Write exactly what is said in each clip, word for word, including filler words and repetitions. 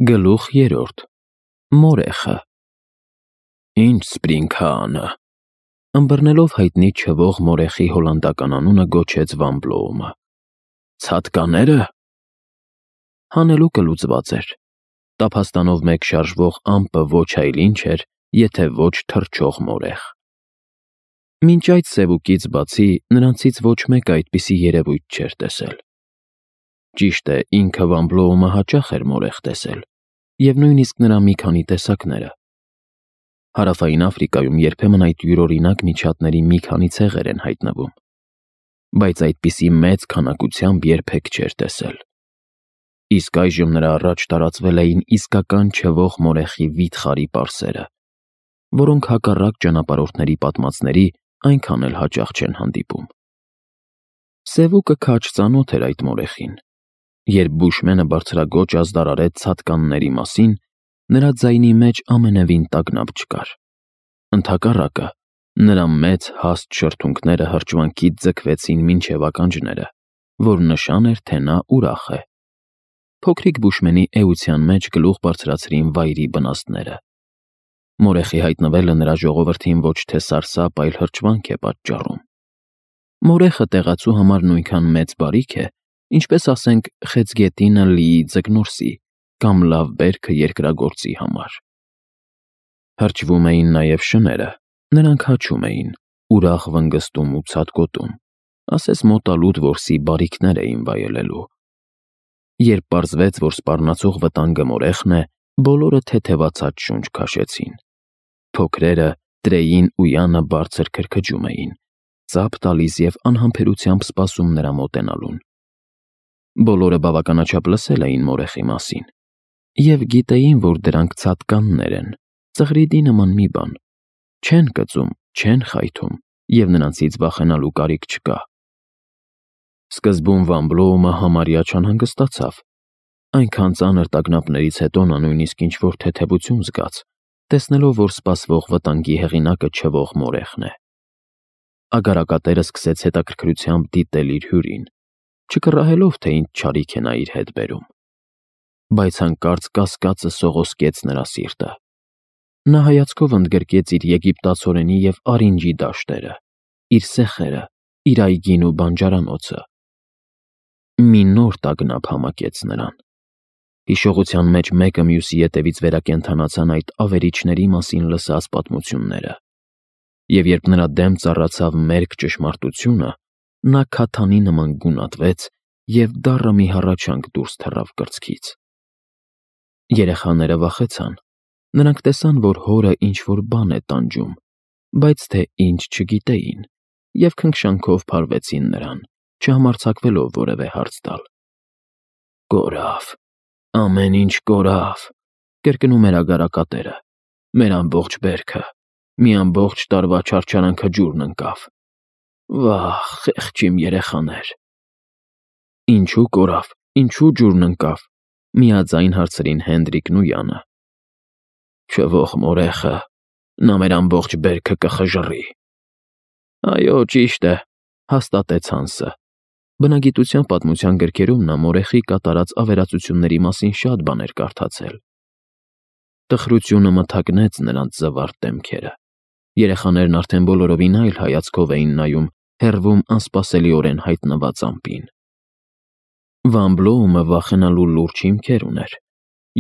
Գլուխ երրորդ Մորեխը Ինչ Սպրինգհանը ըմբռնելով հայտնի չվող մորեխի հոլանդական անունը գոչեց Վան Բլոումը։ Ցատկանե՞րը։ Հանելուկը լուծված էր։ Տափաստանով մեկ շարժվող ամպը ոչ այլ ինչ էր, եթե ոչ թռչող մորեխ։ Մինչ այդ սևուկից բացի նրանցից ոչ մեկը այդպիսի երևույթ չէր տեսել։ Ճիշտ է, ինքը Վան Բլոումը հաճախ էր մորեխ տեսել, և նույնիսկ նրա մի քանի տեսակները։ Հարավային Աֆրիկայում երբեմն այդ յուրօրինակ միջատների մի քանի ցեղեր են հայտնվում, բայց այդպիսի մեծ քանակությամբ երբեք չէր տեսել։ Իսկ այժմ նրա առաջ տարածվել էին իսկական չվող մորեխի վիթխարի պարսերը, որոնք հակառակ ճանապարհորդների պատմածների այնքան էլ հաճախ չեն հանդիպում։ Սևուկը քաջ ծանոթ էր այդ մորեխին։ Երբ բուշմենը բարձրաձոչ ազդարարեց ցատկանների մասին, նրա ձայնի մեջ ամենևին տագնապ չկար։ Ընդհակառակը, նրա մեծ հաստ շրթունքները հրճվանքից ձգվեցին մինչև ականջները, որ նշան էր, թե նա ուրախ է։ Փոքրիկ բուշմենի էության մեջ գլուխ բարձրացրին վայրի բնաստները։ Մորեխի հայտնվելը նրա ժողովրդին ոչ թե սարսափ, այլ հրճվանք է պատճառում։ Մորեխը տեղացու համար նույնքան մեծ բարիք է, ինչպես ասենք խեցգետինը լիի ձկնորսի կամ լավ բերքը երկրագործի համար։ Հրճվում էին նաև շները, նրանք հաչում էին, ուրախ վնգստում ու ցատկոտում, ասես մոտալուտ որսի բարիքներ էին վայելելու։ Երբ պարզվեց, որ սպառնացող վտանգը մորեխն է, բոլորը թեթևացած շունչ քաշեցին։ Փոքրերը, Տրեին ու Յանը բարձր քրքջում էին, ծափ տալիս և անհամբերությամբ սպասում նրա մոտենալուն։ Բոլորը բավականաչափ լսել էին մորեխի մասին և գիտեին, որ դրանք ցատկաններ են, ծղրիդի նման մի բան, չեն կծում, չեն խայթում և նրանցից վախենալու կարիք չկա։ Սկզբում Վան Բլոումը համարյա չանհանգստացավ։ Այնքան ծանր տագնապներից հետո նա նույնիսկ ինչ-որ թեթևություն զգաց, տեսնելով, որ սպասվող վտանգի հեղինակը չվող մորեխն է։ Ագարակատերը սկսեց հետաքրքրությամբ դիտել իր հյուրին, չկռահելով, թե ինչ չարիք է նա իր հետ բերում։ Բայց հանկարծ կասկածը սողոսկեց նրա սիրտը։ Նա հայացքով ընդգրկեց իր եգիպտացորենի և արինջի դաշտերը, իր սեխերը, իր այգին ու բանջարանոցը։ Մի նոր տագնապ համակեց նրան։ Հիշողության մեջ մեկը մյուսի ետևից վերակենդանացան այդ ավերիչների մասին լսած պատմությունները։ Եվ երբ նրա դեմ ծառացավ մերկ ճշմարտությունը, նա քաթանի նման գունատվեց և դառը մի հառաչանք դուրս թռավ կրծքից։ Երեխաները վախեցան։ Նրանք տեսան, որ հորը ինչ-որ բան է տանջում, բայց թե ինչ չգիտեին, և քնքշանքով փարվեցին նրան, չհամարձակվելով որևէ հարց տալ։ Կորավ, ամեն ինչ կորավ, կրկնում էր ագարակատերը, մեր ամբողջ բերքը, մի ամբողջ տարվա չարչարանքը ջուրն ընկավ։ Վա՜խ, խեղճ իմ երեխաներ։ Ինչու կորավ, ինչու ջուրն ընկավ, միաձայն հարցրին Հենդրիկն ու Յանը։ Չվող մորեխը, նա մեր ամբողջ բերքը կխժռի։ Այո, ճիշտ է, հաստատեց Հանսը։ Բնագիտության պատմության գրքերում նա մորեխի կատարած ավերածությունների մասին շատ բաներ կարդացել։ Տխրությունը մթագնեց նրանց զվարթ դեմքերը։ Երեխաներն արդեն բոլորովին այլ հայացքով էին նայում հեռվում անսպասելիորեն հայտնված ամպին։ Վան Բլոումը վախենալու լուրջ հիմքեր ուներ։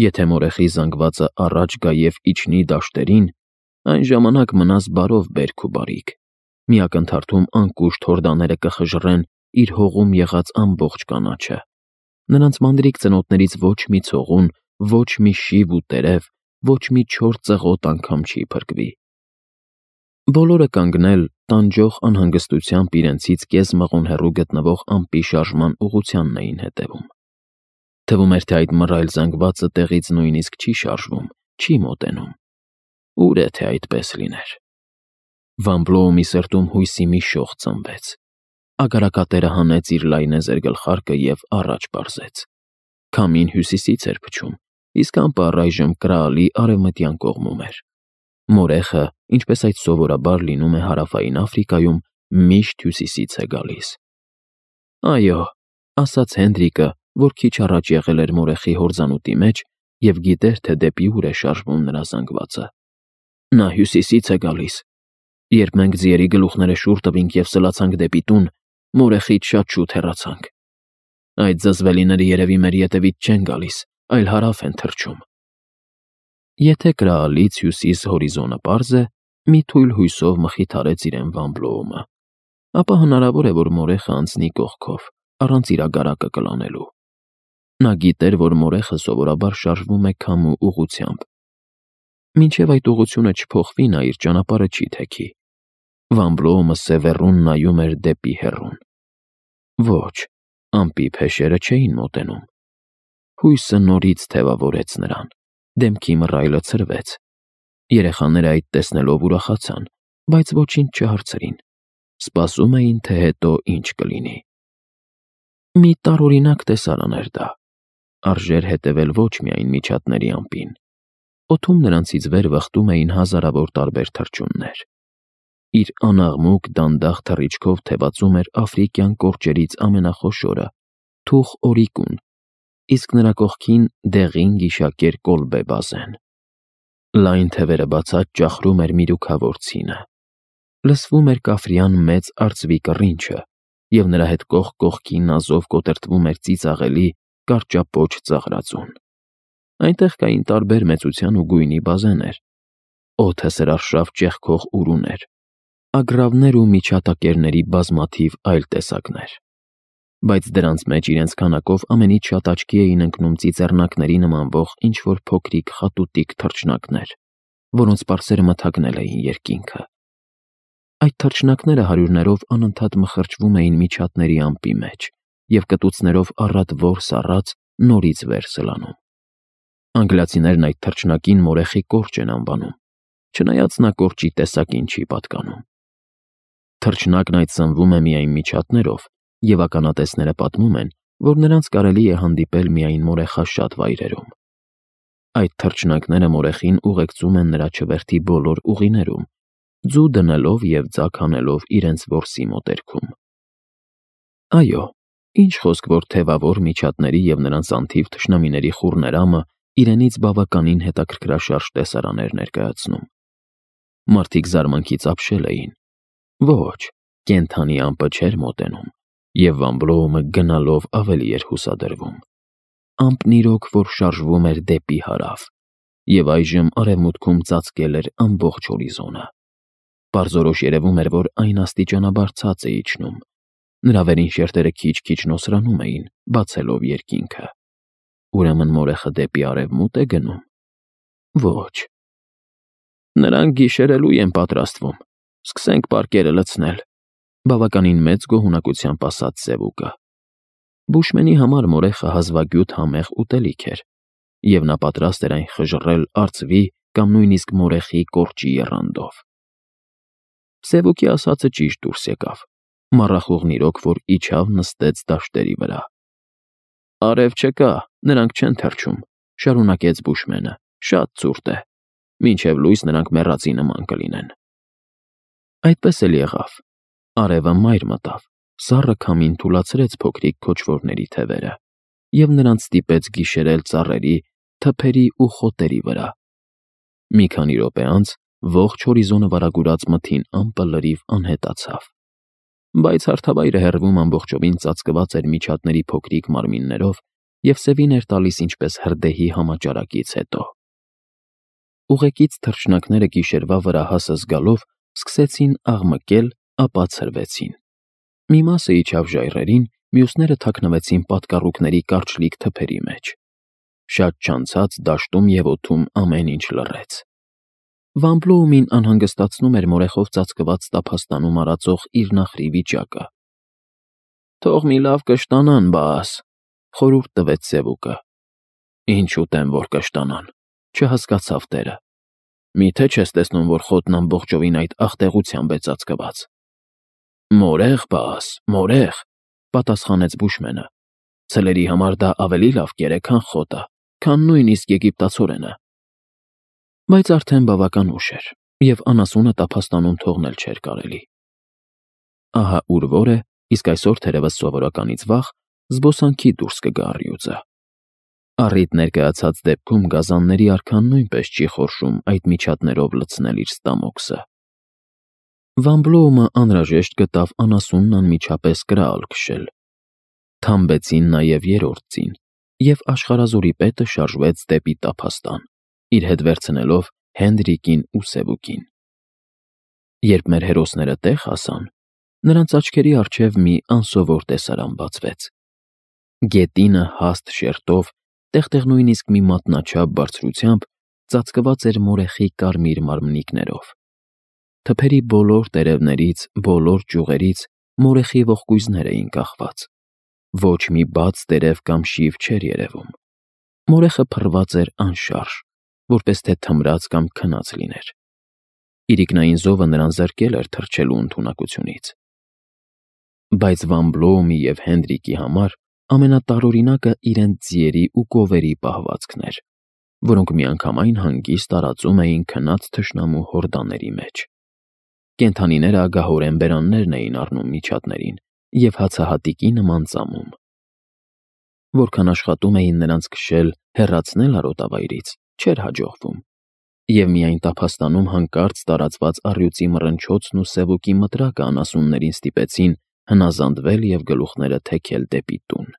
Եթե մորեխի զանգվածը առաջ գա և իջնի դաշտերին, այն ժամանակ մնաս բարով բերք ու բարիք։ Մի ակնթարթում անկուշտ հորդաները կխժռեն իր հողում եղած ամբողջ կանաչը։ Նրանց մանրիկ ծնոտներից ոչ մի ցողուն, ոչ մի շիվ ու տերև, ոչ մի չոր ծղոտ անգամ չի փրկվի։ Բոլորը կանգնել, տանջող անհանգստությամբ իրենցից կես մղոն հեռու գտնվող ամպի շարժման ուղղությանն էին հետևում։ Թվում էր, թե այդ մռայլ զանգվածը տեղից նույնիսկ չի շարժվում, չի մոտենում։ Ուր է, թե այդպես լիներ։ Վան Բլոումի սրտում հույսի մի շող ծնվեց։ Ագարակատերը հանեց իր լայնեզր գլխարկը և առաջ պարզեց։ Քամին հյուսիսից էր փչում, իսկ ամպը առայժմ կրալի արևմտյան կողմում էր։ Մորեխը, ինչպես այդ սովորաբար լինում է Հարավային Աֆրիկայում, միշտ հյուսիսից է գալիս։ Այո, ասաց Հենդրիկը, որ քիչ առաջ եղել էր մորեխի հորձանուտի մեջ և գիտեր, թե դեպի ուր է շարժվում նրա զանգվածը։ Նա հյուսիսից է գալիս։ Երբ մենք ձիերի գլուխները շուռ տվինք և սլացանք դեպի տուն, մորեխից շատ շուտ հեռացանք։ Այդ զզվելիները երևի մեր ետևից չեն գալիս, այլ հարավ են թռչում։ Եթե կրալից հյուսիս հորիզոնը պարզ է, մի թույլ հույսով մխիթարեց իրեն Վան Բլոումը, ապա հնարավոր է, որ մորեխը անցնի կողքով, առանց իրագարակը կլանելու։ Նա գիտեր, որ մորեխը սովորաբար շարժվում է քամու ուղղությամբ։ Մինչև այդ ուղղությունը չփոխվի, նա իր ճանապարհը չի թեքի։ Վան Բլոումը սևեռուն նայում էր դեպի հեռուն։ Ոչ, ամպի փեշերը չէին մոտենում։ Հույսը նորից թևավորեց նրան, դեմքի մռայլը ցրվեց։ Երեխաները այդ տեսնելով ուրախացան, բայց ոչինչ չհարցրին։ Սպասում էին, թե հետո ինչ կլինի։ Մի տարօրինակ տեսարան էր դա։ Արժեր հետևել ոչ միայն միջատների ամպին։ Օդում նրանցից վեր վխտում էին հազարավոր տարբեր թռչուններ։ Իր անաղմուկ դանդաղ թռիչքով թևածում էր աֆրիկյան կորճերից ամենախոշորը՝ թուխ օրիկուն, իսկ նրա կողքին դեղին գիշակեր կոլբե բազեն։ Լայն թևերը բացած ճախրում էր միրուքավոր ցինը։ Լսվում էր կաֆրյան մեծ արծվի կռինչը, և նրա հետ կողք կողքի նազով կոտրտվում էր ծիծաղելի կարճապոչ ծաղրածուն։ Այնտեղ կային տարբեր մեծության ու գույնի բազեներ, օդը սրարշավ ճեղքող ուրուներ, ագռավներ ու միջատակերների բազմաթիվ այլ տեսակներ։ Բայց դրանց մեջ իրենց քանակով ամենից շատ աչքի էին ընկնում ծիծեռնակների նմանվող ինչ-որ փոքրիկ խատուտիկ թռչնակներ, որոնց պարսերը մթագնել էին երկինքը։ Այդ թռչնակները հարյուրներով անընդհատ մխրճվում էին միջատների ամպի մեջ և կտուցներով առատ որս առած նորից վեր սլանում։ Անգլիացիներն այդ թռչնակին մորեխի կորճ են անվանում, չնայած նա կորճի տեսակին չի պատկանում։ Թռչնակն այդ սնվում է միայն միջատներով, և ականատեսները պատմում են, որ նրանց կարելի է հանդիպել միայն մորեխաշատ վայրերում։ Այդ թռչնակները մորեխին ուղեկցում են նրա չվերթի բոլոր ուղիներում, ձու դնելով և ձագ հանելով իրենց որսի մոտերքում։ Այո, ինչ խոսք, որ թևավոր միջատների և նրանց անթիվ թշնամիների խուռներամը իրենից բավականին հետաքրքրաշարժ տեսարան էր ներկայացնում։ Մարդիկ զարմանքից ապշել էին։ Ոչ, կենդանի ամպը չէր մոտենում, և Վան Բլոումը գնալով ավելի էր հուսադրվում։ Ամպն իրոք որ շարժվում էր դեպի հարավ, և այժմ արևմուտքում ծածկել էր ամբողջ հորիզոնը։ Պարզորոշ երևում էր, որ այն աստիճանաբար ցած է իջնում։ Նրա վերին շերտերը քիչ-քիչ նոսրանում էին, բացելով երկինքը։ Ուրեմն մորեխը դեպի արևմուտ է գնում։ Ոչ։ Նրանք գիշերելու են պատրաստվում։ Սկսենք պարկերը լցնել, բավականին մեծ գոհունակությամբ ասաց Սևուկը։ Բուշմենի համար մորեխը հազվագյուտ համեղ ուտելիք էր, և նա պատրաստ էր այն խժռել արծվի կամ նույնիսկ մորեխի կորճի եռանդով։ Սևուկի ասածը ճիշտ դուրս եկավ։ Մառախուղն իրոք որ իջավ նստեց դաշտերի վրա։ Արև չկա, նրանք չեն թռչում, շարունակեց Բուշմենը, շատ ցուրտ է։ Մինչև լույս նրանք մեռածի նման կլինեն։ Այդպես էլ եղավ։ Արևը մայր մտավ, սառը քամին թուլացրեց փոքրիկ քոչվորների թևերը, և նրանց ստիպեց գիշերել ծառերի, թփերի ու խոտերի վրա։ Մի քանի րոպե անց ողջ հորիզոնը վարագուրած մթին ամպը լրիվ անհետացավ։ Բայց հարթավայրը հեռվում ամբողջովին ծածկված էր միջատների փոքրիկ մարմիններով և սևին էր տալիս ինչպես հրդեհի համաճարակից հետո։ Ուղեկից թռչնակները գիշերվա վրա հասը զգալով սկսեցին աղմկել, ապա ցրվեցին։ Մի մասը իջավ ժայռերին, մյուսները թաքնվեցին պատկառուկների կարճլիկ թփերի մեջ։ Շատ չանցած դաշտում և օդում ամեն ինչ լռեց։ Վան Բլոումին անհանգստացնում էր մորեխով ծածկված տափաստանում արածող իր նախրի վիճակը։ Թող մի լավ կշտանան, բաս, խորհուրդ տվեց Սևուկը։ Ինչ ուտեմ, որ կշտանան, չհասկացավ տերը։ Միթե չես տեսնում, որ խոտն ամբողջովին այդ աղտեղությամբ է ծածկված։ Մորեխ, բաս, մորեխ, պատասխանեց Բուշմենը։ Ցլերի համար դա ավելի լավ կեր է, քան խոտը, քան նույնիսկ եգիպտացորենը։ Բայց արդեն բավական ուշ էր, և անասունը տափաստանում թողնել չէր կարելի։ Ահա ուր որ է, իսկ այսօր թերևս սովորականից վաղ զբոսանքի դուրս կգա առյուծը։ Առիթ ներկայացած դեպքում գազանների արքան նույնպես չի խորշում այդ միջատներով լցնել իր ստամոքսը։ Վան Բլոումը անհրաժեշտ գտավ անասունն անմիջապես կրալ քշել։ Թամբեցին նաև երրորդ ծին, և աշխարհազորի պետը շարժվեց դեպի տափաստան, իր հետ վերցնելով Հենրիկին ու Սևուկին։ Երբ մեր հերոսները տեղ հասան, նրանց աչքերի առջև մի անսովոր տեսարան բացվեց։ Գետինը հաստ շերտով, տեղ-տեղ նույնիսկ մի մատնաչափ բարձրությամբ ծածկված էր մորեխի կարմիր մարմնիկներով։ Թփերի բոլոր տերևներից, բոլոր ճյուղերից մորեխի ողկույզներ էին կախված։ Ոչ մի բաց տերև կամ շիվ չէր երևում։ Մորեխը փռված էր անշարժ, որպես թե թմրած կամ քնած լիներ։ Իրիկնային զովը նրան զրկել էր թռչելու ընդունակությունից։ Բայց Վան Բլոումի և Հենրիկի համար ամենատարօրինակը իրենց ձիերի ու կովերի պահվածքն էր, որոնք միանգամայն հանգիստ տարածում էին քնած թշնամու հորդաների մեջ։ Կենդանիները ագահորեն բերաններն էին առնում միջատներին և հացահատիկի նման ծամում։ Որքան աշխատում էին նրանց քշել, հեռացնել արոտավայրից, չէր հաջողվում, և միայն տափաստանում հանկարծ տարածված առյուծի մռնչոցն ու Սևուկի մտրակը անասուններին ստիպեցին հնազանդվել և գլուխները թեքել դեպի տուն։